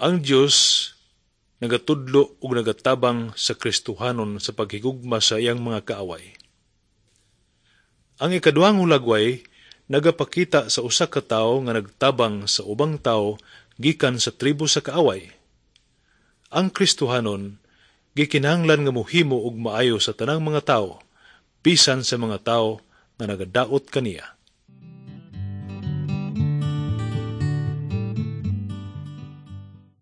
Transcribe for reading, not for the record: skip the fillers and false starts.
Ang Dios nagatudlo ug nagatabang sa Kristohanon sa paghigugma sa iyang mga kaaway. Ang ikaduhang hulagway nagapakita sa usa ka tawo nga nagtabang sa ubang tawo gikan sa tribo sa kaaway. Ang Kristohanon gikinahanglan nga mohimo og maayo sa tanang mga tawo, bisan sa mga tawo nga nagadaot kaniya.